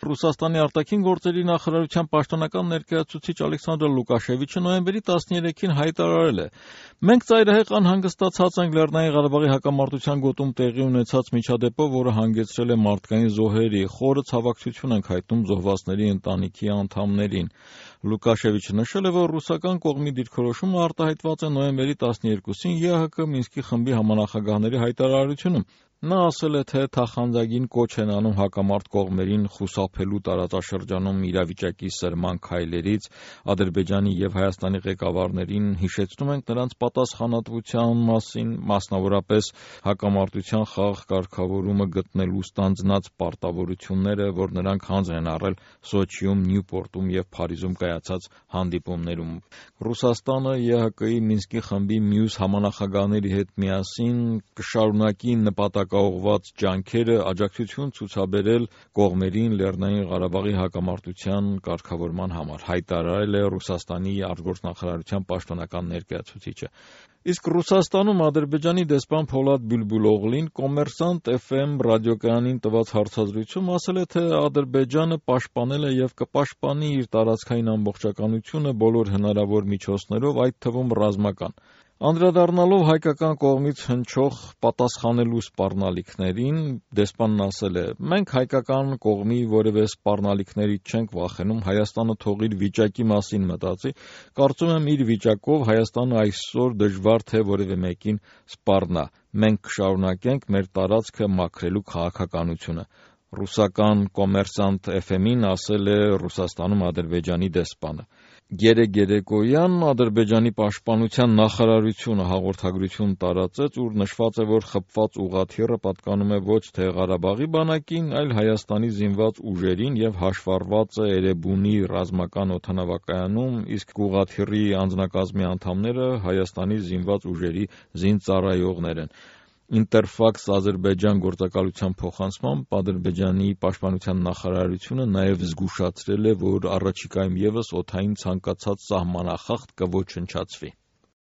Ռուսաստանի արտաքին գործերի նախարարության պաշտոնական ներկայացուցիչ Ալեքսանդր Լուկաշևիչը նոյեմբերի 13-ին հայտարարել է. «Մենք ծայրահեղ անհանգստացած ենք Լեռնային Ղարաբաղի հակամարտության գոտում տեղի ունեցած միջադեպով, որը հանգեցրել է մարդկային զոհերի, խորը ցավակցություն ենք հայտնում զոհվածների ընտանիքի անդամներին»։ Լուկաշևիչը նշել է, որ ռուսական կողմի դիրքորոշումը արտահայտված է նոյեմբերի 12-ին ԵԱՀԿ Մինսկի խմբի համանախագահների հայտարարությունում։ Նա ասել է, թե թախանձագին կոչ են անում հակամարտ կողմերին խուսափելու տարածաշրջանում իրավիճակի սրման քայլերից, Ադրբեջանի և Հայաստանի ղեկավարներին հիշեցնում ենք նրանց պատասխանատվության մասին, մասնավորապես հակամարտության խաղաղ կարգավորումը գտնելու ստանձնած պարտավորությունները, որ նրանք հանձն են առել Սոչիում, Նյուպորտում և Փարիզում կայացած հանդիպումներում։ Ռուսաստանը ԵԱՀԿ Մինսկի խմբի մյուս համանախագահների հետ միասին կշարունակի նպատակաուղղված ջանքերը աջակցություն ցուցաբերել կողմերին Լեռնային Ղարաբաղի հակամարտության կարգավորման համար, հայտարարել է Ռուսաստանի արտգործնախարարության պաշտոնական ներկայացուցիչը։ Իսկ Ռուսաստանում Ադրբեջանի դեսպան Փոլադ Բյուլբուլօղլին Կոմերսանտ FM ռադիոկայանին տված հարցազրույցում ասել է, թե Ադրբեջանը պաշտպանել է և կպաշտպանի իր տարածքային ամբողջականությունը բոլոր հնարավոր միջոցներով, այդ թվում ռազմական։ Անդրադառնալով հայկական կողմից հնչող պատասխանելու սպառնալիքներին, դեսպանն ասել է. «Մենք հայկական կողմի որևէ սպառնալիքներից չենք վախենում, Հայաստանը թող իր վիճակի մասին մտածի, կարծում եմ իր վիճակով Հայաստանը այսօր դժվար թե որևէ մեկին սպառնա, մենք կշարունակենք մեր տարածքը մաքրելու քաղաքականությունը», ռուսական Կոմերսանտ FM-ին ասել է Ռուսաստանում Ադրբեջանի դեսպանը։ Երեկոյան Ադրբեջանի պաշտպանության նախարարությունը հաղորդագրություն տարածեց, ուր նշված է, որ խփված ուղղաթիռը պատկանում է ոչ թե Ղարաբաղի բանակին, այլ Հայաստանի զինված ուժերին և հաշվառված է Էրեբունի ռազմական օդանավակայանում, իսկ ուղղաթիռի անձնակազմի անդամները Հայաստանի զինված ուժերի զինծառայողներ են։ Ինտերֆաքս Ադրբեջան գործակալության փոխանցմամբ Ադրբեջանի պաշտպանության նախարարությունը նաև զգուշացրել է, որ առաջիկայում ևս օդային ցանկացած սահմանախախտ կոչնչացվի։